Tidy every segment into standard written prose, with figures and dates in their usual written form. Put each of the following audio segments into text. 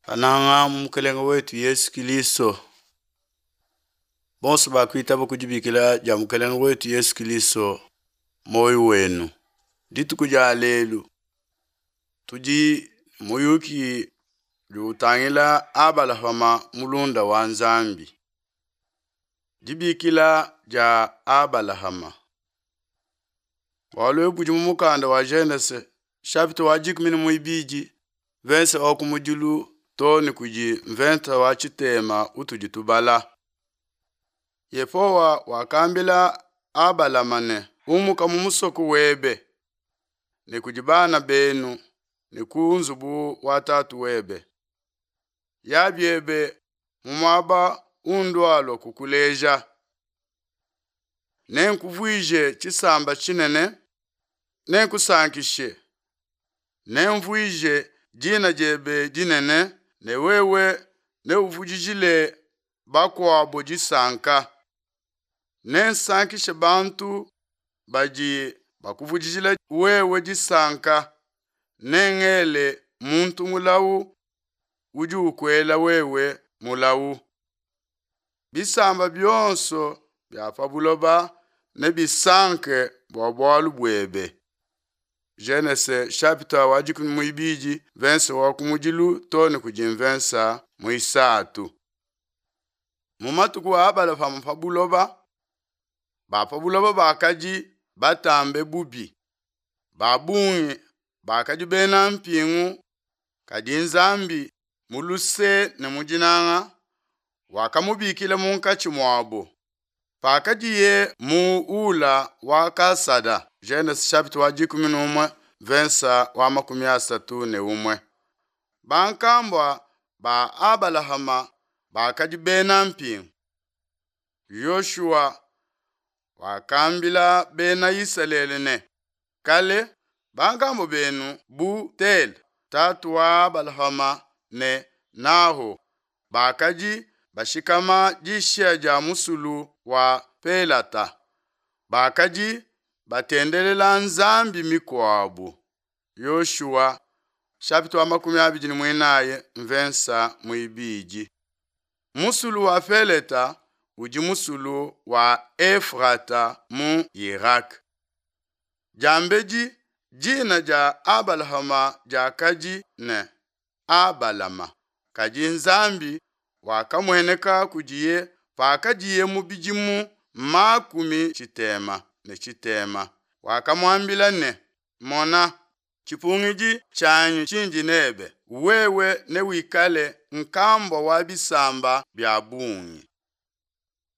Bananga mu Mukelenge wetu Yesu Kilisto, bonso bakuitaba ku dibikila dia Mukelenge wetu Yesu Kilisto muoyo wenu. Dituku dia lelu tudi muyuki udi utangila Abalahama mulunda wa Nzambi. Dibikila dia Abalahama. Bualu ebu budi mu mukanda wa Genese chapitre wa 12 verse wa kumudilu too ne kudi mventa wa tshitema utudi tubala. Yehowa wakambila Abalama ne, umuka mu musoko webe ne kudi bana benu ne ku nzubu wa tatu webe. Ya biebe mu muaba undualua kukuleja. Nenkuvuije tshisamba tshinene, nenkusankishe, nenvuije dina diebe dinene, ne wewe neuvudijile bakuabo disanka. Nensankishe bantu badi bakuvudijila wewe disanka, nengele muntu mulawu udi ukuela wewe mulawu. Bisamba bionso bia pa buloba nebisanke bua bualu buebe. Genese chapitre wa 12 verse wa kumudilu too ne kudi mvensa muisatu. Mu matuku a Abalahama pa buloba, ba pa buloba bakadi batambe bubi. Ba bungi bakadi bena mpingu, kadi Nzambi mu luse ne mu dinanga wakamubikila munkatshi muabo. Pakadiye mu Ula wa Kasada, Genese chapitre wa 11 verse wa 31. Bankambua ba Abalahama bakadi bena mpingu. Yoshua wakambila bena Isalele ne, kale bankambua benu bu Tela, tatu wa Abalahama ne Naho bakadi bashikama dishiya dia musulu wa Pelata. Bakadi batendelela nzambi mikuabu. Yoshua chapitre wa 24 mvensa muibidi. Musulu wa Peleta udi musulu wa Efrata mu Irak. Diambedi dina dia Abalahama diakadi ne Abalama, kadi Nzambi wakamueneka kudiye pakadiye mu bidimu 60. Wakamuambila ne, mona, tshipungidi tshianyi tshindi nebe, wewe newikale nkambua wa bisamba bia bungi.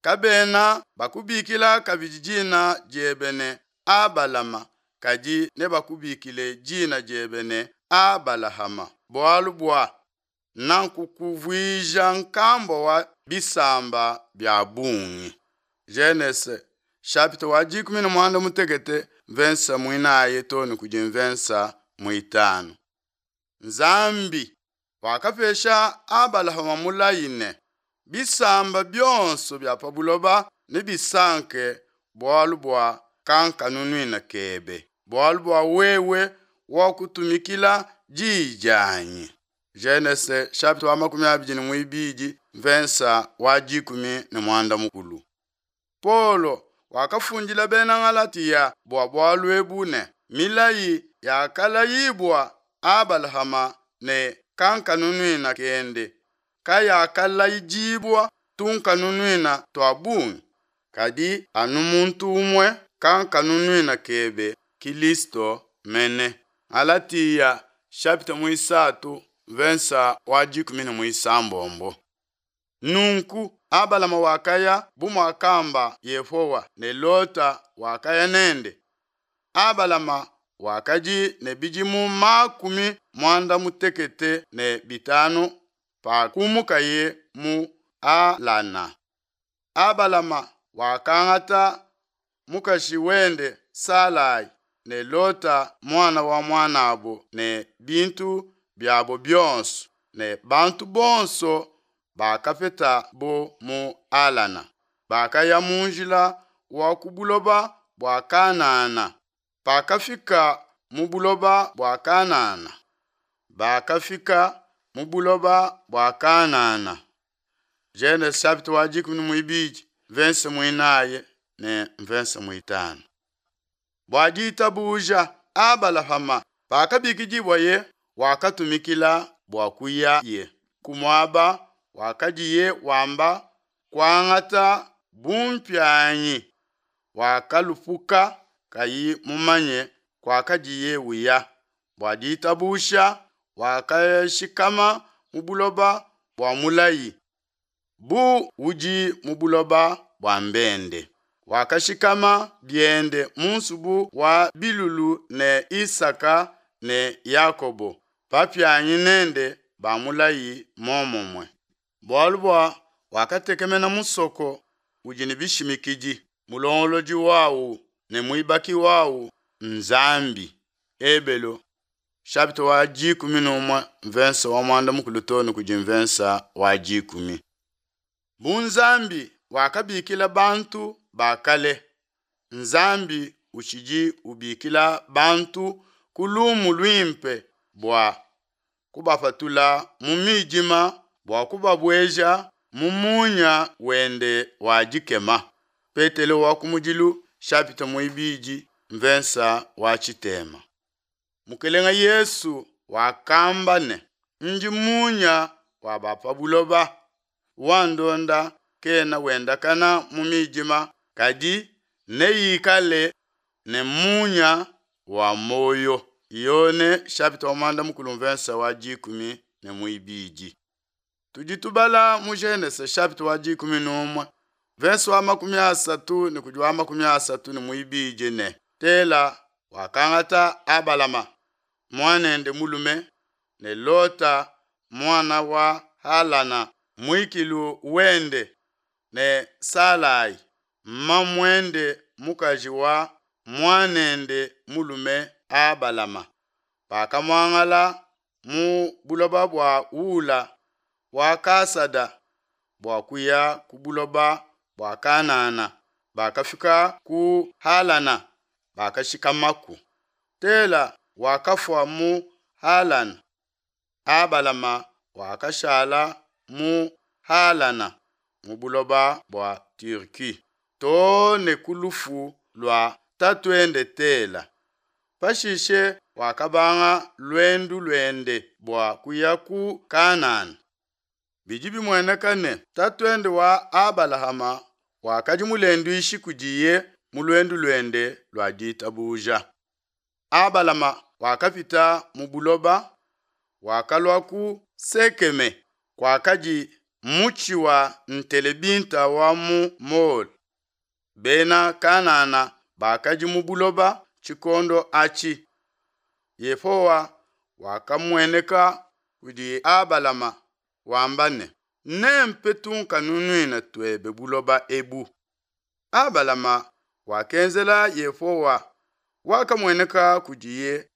Kabena bakubikila kabidi dina diebe ne Abalama, kadi nebakubikile dina diebe ne Abalahama, bualu bua nankukuvuija nkambua wa bisamba bia bungi. Genese chapitre wa 16 verse mwinayi too ne kudi mvensa mwitanu. Nzambi wakapesha Abalahama mulayi ne bisamba bionso bia pa buloba nebisanke bualu bua kankanunuina kebe, bualu bua wewe wakutumikila diyi dianyi. Genese chapitre wa 22 verse wa 13. Paulo wakafundila bena Galatia bua bualu ebu ne milayi yakalayibua Abalahama ne kankanunuina kende kayakalayidibua tunkanunuina tua bungi, kadi anu muntu umue kankanunuina kebe Kilisto mene. Galatia chapitre muisatu verse wa 16. Nunku Abalama wakaya bu muakamba Yehowa ne Lota wakaya nende. Abalama wakadi ne bidimu 95 pakumukaye mu Alana. Abalama wakangata mukaji wende Salai ne Lota mwana wa mwanabo ne bintu biabo bionso ne bantu bonso bakapeta bo mu Alana. Bakaya mu njila wa ku buloba bua Kanana. Pakafika mu buloba bua Kanana, bakafika. mu buloba bua Kanana. Genese chapitre wa dikumi ne muibidi, mvense muinayi ne mvense muitanu. Bua ditabuja, Abalahama, pakabikidibuaye, wakatumikila bua kuyaye ku muaba wakadiye wamba kuangata bumpianyi, wakalupuka kayi mumanye kuakadiye uya. Bua ditabuja, wakashikama mu buloba bua mulayi, bu udi mu buloba bua mbende. Wakashikama biende mu nsubu wa bilulu ne Isaka ne Yakobo, bapianyi nende ba mulayi muomumue. Bualu bua wakatekemena musoko udi ne bishimikidi, mulongolodi wawu ne muibaki wawu n'Nzambi. Ebelu chapitre wa 11 mvensa wa muanda mukulu too ne kudi mvensa wa dikumi. Bu Nzambi wakabikila bantu ba kale, Nzambi utshidi ubikila bantu ku lumu luimpe bua kubapatula mu midima bua kubabueja mu munya wende wa dikema. Petelo wa kumudilu chapitre muibidi mvensa wa tshitema. Mukelenge Yesu wakamba ne, Ndi munya wa ba pa buloba, wandonda kena wendakana mu midima, kadi neikale ne munya wa muoyo. Yone chapitre wa muanda mukulu mvensa wa dikumi ne muibidi. Tudi tubala mu Genese chapitre wa 11 verse wa 30 ne kudi wa 32 ne Tela wakangata Abalama muanende mulume ne Lota muana wa Halana muikilu wende ne Salai mamuende mukaji wa muanende mulume Abalama. Bakamuangala mu buloba bua Ula wa Kasada bua kuya ku buloba bua Kanana. Bakafika ku Halana, bakashikamaku. Tela wakafua mu Halana. Abalama wakashala mu Halana mu buloba bua Turquie too ne ku lufu lua tatuende Tela. Pashishe wakabanga luendu luende bua kuya ku Kanana. Bidi bimueneka ne, tatuende wa Abalahama wakadi mulenduishi kudiye mu luendu luende lua ditabuja. Abalama wakapita mu buloba, wakalua ku Sekeme, kuakadi mutshi wa ntelebinta wa mu Mole. Bena Kanana bakadi mu buloba tshikondo atshi. Yehowa wakamueneka kudi Abalama wamba ne, Nempe tunkanunuina tuebe buloba ebu. Abalama wakenzela Yehowa wakamueneka kudiye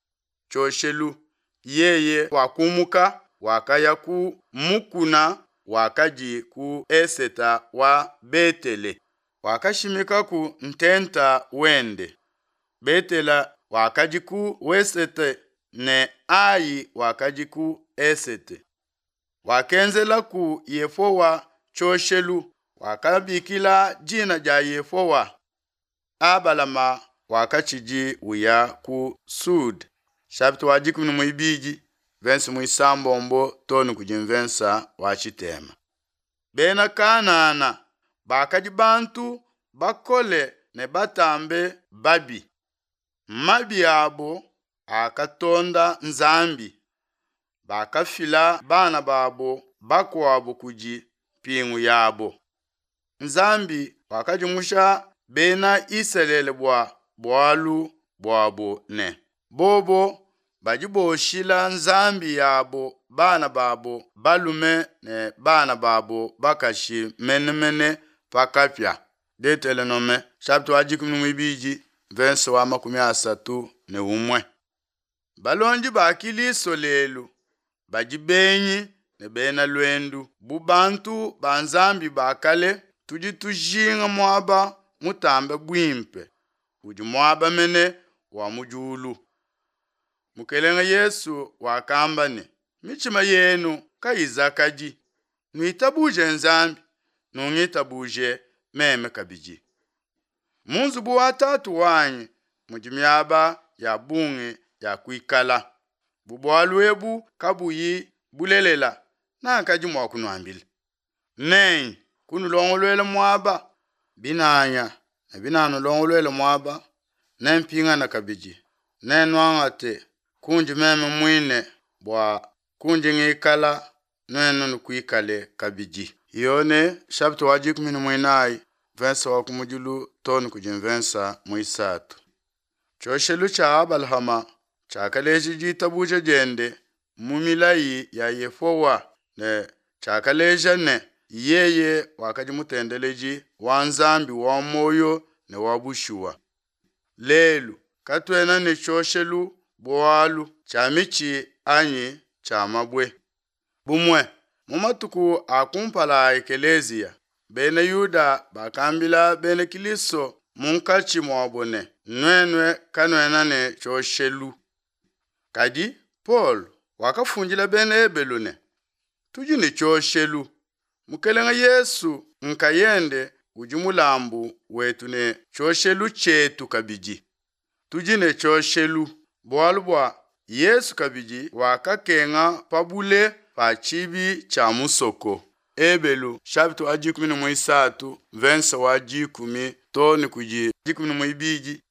tshioshelu, yeye wakumuka, wakaya ku mukuna wakadi ku eseta wa Betele, wakashimikaku ntenta wende. Betele wakadi ku wesete ne Ai wakadi ku esete. Wakenzelaku Yehowa tshioshelu, wakabikila dina dia Yehowa. Abalama wakatshidi uya ku Sud. Chapitre wa 12 verse muisambombo too ne kudi mvensa wa tshitema. Bena Kanana bakadi bantu bakole ne batambe babi. Mabi abo akatonda Nzambi. Bakafila bana babo bakuabo kudi mpingu yabo. Nzambi wakadimusha Bena Isalele bua bualu buabo ne, Bobo badi boshila nzambi yabo bana babo balume ne bana babo bakashi mene mene pa kapia. Detelonome chapitre wa 12 verse wa 31. Balondi ba Kilisto lelu badi benyi ne bena luendu. Bu bantu ba Nzambi ba kale, tudi tujinga muaba mutambe buimpe, udi muaba mene wa mu diulu. Mukelenge Yesu wakamba ne, Mitshima yenu. kayizakadi. Nuitabuje Nzambi, nungitabuje meme kabidi. Mu nzubu wa Tatu wanyi mudi miaba ya bungi ya kuikala. Bu bualu ebu kabuyi bulelela, nakadi mua kunuambila. Nenye kunulongoluela muaba. Binanya ne binanulongoluela muaba, nempingane kabidi, nennuangate kundi meme muine, bua kundi ngikala, nuenu nukuikale kabidi. Yone chapitre wa dikumi ne muinayi mvensa wa kumudilu too ne kudi mvensa muisatu. Tshioshelu tshia Abalahama tshiakaleja ditabuja diende mu milayi ya Yehowa ne tshiakaleja ne, yeye wakadi mutendeledi wa Nzambi wa muoyo ne wa bushuwa. Lelu katuena ne tshioshelu bualu, tshia mitshi anyi tshia mabue. Bumue, mu matuku a kumpala a Ekeleziya, Bena Yuda bakambila bena Kilisto munkatshi muabo ne, Nuenu kanuena ne tshioshelu. Kadi Paulo wakafundila Bena Ebelu ne, Tudi ne tshioshelu, Mukelenge Yesu nkayende udi mulambu wetu ne tshioshelu tshietu kabidi. Tudi ne tshioshelu bualu bua Yesu kabidi wakakenga pa bule pa tshibi tshia musoko. Ebelu chapitre wa dikumi ne muisatu mvensa wa dikumi too ne kudi dikumi ne muibidi.